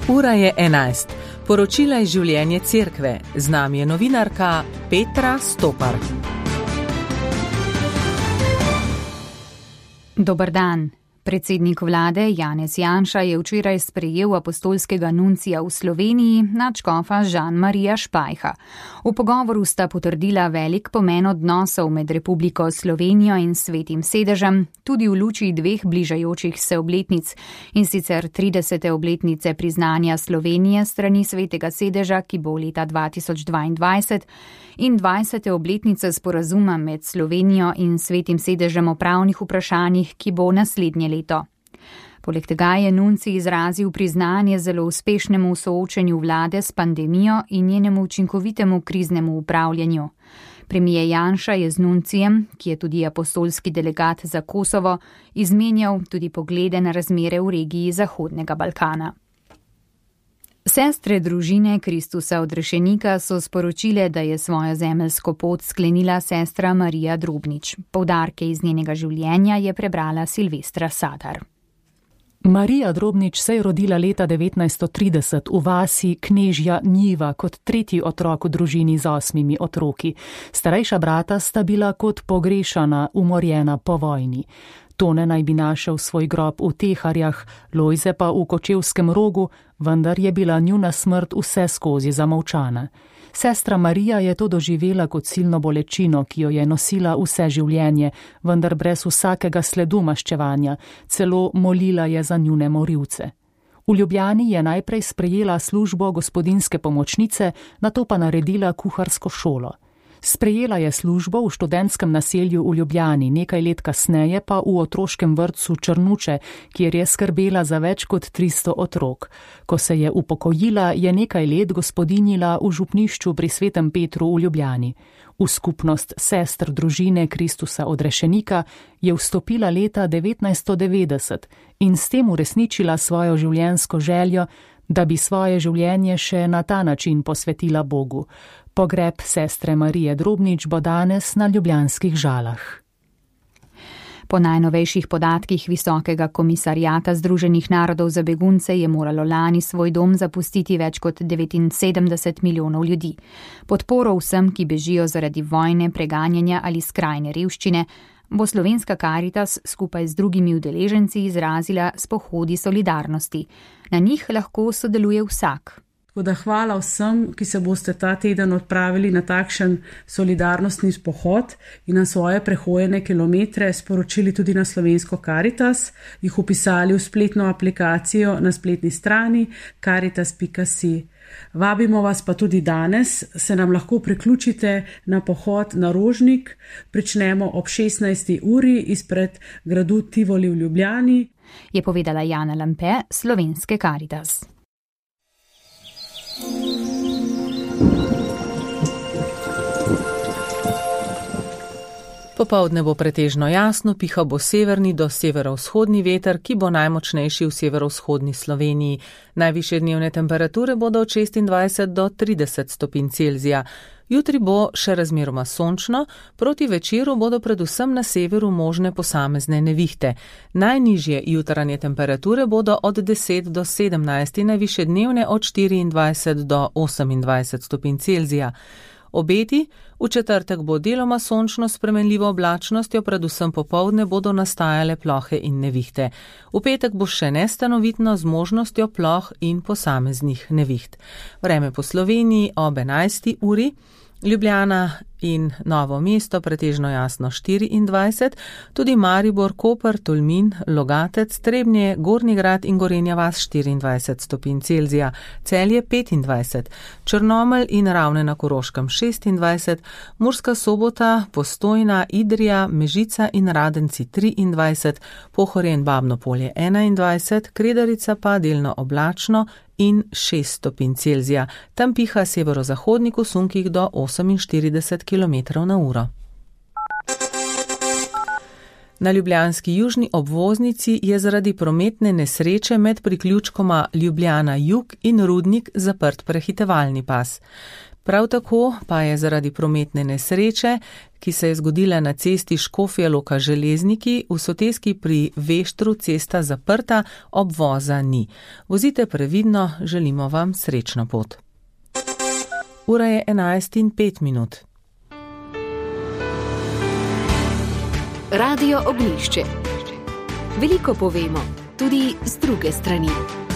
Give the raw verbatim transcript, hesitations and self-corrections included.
Ura je enajst. Poročila iz življenja cerkve. Z nami je novinarka Petra Stopar. Dober dan. Predsednik vlade Janez Janša je včeraj sprejel apostolskega nuncija v Sloveniji, nadškofa Žan-Marija Špajha. V pogovoru sta potrdila velik pomen odnosov med Republiko Slovenijo in Svetim sedežem, tudi v luči dveh bližajočih se obletnic, in sicer tridesete obletnice priznanja Slovenije strani Svetega sedeža, ki bo leta dva tisoč dvaindvajset, in dvajsete obletnice sporazuma med Slovenijo in Svetim sedežem o pravnih vprašanjih, ki bo naslednje leto. Poleg tega je nuncij izrazil priznanje zelo uspešnemu soočenju vlade s pandemijo in njenemu učinkovitemu kriznemu upravljanju. Premijer Janša je z nuncijem, ki je tudi apostolski delegat za Kosovo, izmenjal tudi poglede na razmere v regiji Zahodnega Balkana. Sestre družine Kristusa odrešenika so sporočile, da je svojo zemeljsko pot sklenila sestra Marija Drobnič. Poudarke iz njenega življenja je prebrala Silvestra Sadar. Marija Drobnič se je rodila leta devetnajststo trideset v vasi Knežja Njiva kot tretji otrok v družini z osmimi otroki. Starejša brata sta bila kot pogrešana, umorjena po vojni. Tone naj bi našel svoj grob v Teharjah, Lojze pa v Kočevskem Rogu, vendar je bila njuna smrt vse skozi zamolčana. Sestra Marija je to doživela kot silno bolečino, ki jo je nosila vse življenje, vendar brez vsakega sledu maščevanja, celo molila je za njune morilce. V Ljubljani je najprej sprejela službo gospodinjske pomočnice, nato pa naredila kuharsko šolo. Sprejela je službo v študentskem naselju v Ljubljani, nekaj let kasneje pa v otroškem vrtcu Črnuče, kjer je skrbela za več kot tristo otrok. Ko se je upokojila, je nekaj let gospodinjila v župnišču pri Svetem Petru v Ljubljani. V skupnost sestr družine Kristusa odrešenika je vstopila leta devetnajststo devetdeset in s tem uresničila svojo življenjsko željo, da bi svoje življenje še na ta način posvetila Bogu. Pogreb sestre Marije Drobnič bo danes na ljubljanskih Žalah. Po najnovejših podatkih Visokega komisarjata Združenih narodov za begunce je moralo lani svoj dom zapustiti več kot devetinsedemdeset milijonov ljudi. Podporo vsem, ki bežijo zaradi vojne, preganjanja ali skrajne revščine, bo Slovenska Karitas skupaj z drugimi udeleženci izrazila s pohodi solidarnosti. Na njih lahko sodeluje vsak. Tako da hvala vsem, ki se boste ta teden odpravili na takšen solidarnostni pohod in na svoje prehojene kilometre sporočili tudi na Slovensko Karitas, jih upisali v spletno aplikacijo na spletni strani karitas pika si. Vabimo vas pa tudi danes, se nam lahko priključite na pohod na Rožnik, pričnemo ob šestnajsti uri izpred gradu Tivoli v Ljubljani, je povedala Jana Lampe, Slovenske Karitas. Popoldne bo pretežno jasno, piha bo severni do severovzhodni veter, ki bo najmočnejši v severovzhodni Sloveniji. Najvišje dnevne temperature bodo od šestindvajset do trideset stopinj Celzija. Jutri bo še razmeroma sončno, proti večeru bodo predvsem na severu možne posamezne nevihte. Najnižje jutranje temperature bodo od deset do sedemnajst, najvišje dnevne od štiriindvajset do osemindvajset stopinj Celzija. Obeti, v četrtek bo deloma sončno s spremenljivo oblačnostjo, predvsem popoldne bodo nastajale plohe in nevihte. V petek bo še nestanovitno z možnostjo ploh in posameznih neviht. Vreme po Sloveniji ob enajsti uri, Ljubljana in Novo mesto pretežno jasno štiriindvajset, tudi Maribor, Koper, Tolmin, Logatec, Trebnje, Gornji Grad in Gorenja vas štiriindvajset stopinj Celzija, Celje petindvajset, Črnomelj in Ravne na Koroškem šestindvajset, Murska Sobota, Postojna, Idrija, Mežica in Radenci triindvajset, Pohorje in Babno Polje enaindvajset, Kredarica pa delno oblačno in šest stopinj Celzija. Tam piha severozahodnik v sunkih do oseminštirideset kilometrov na uro. Na ljubljanski južni obvoznici je zaradi prometne nesreče med priključkoma Ljubljana Jug in Rudnik zaprt prehitevalni pas. Prav tako pa je zaradi prometne nesreče, ki se je zgodila na cesti Škofja Loka Železniki, v Soteski pri Veštru cesta zaprta, obvoza ni. Vozite previdno, želimo vam srečno pot. Ura je enajst in pet minut. Radio Ognjišče. Veliko povemo, tudi z druge strani.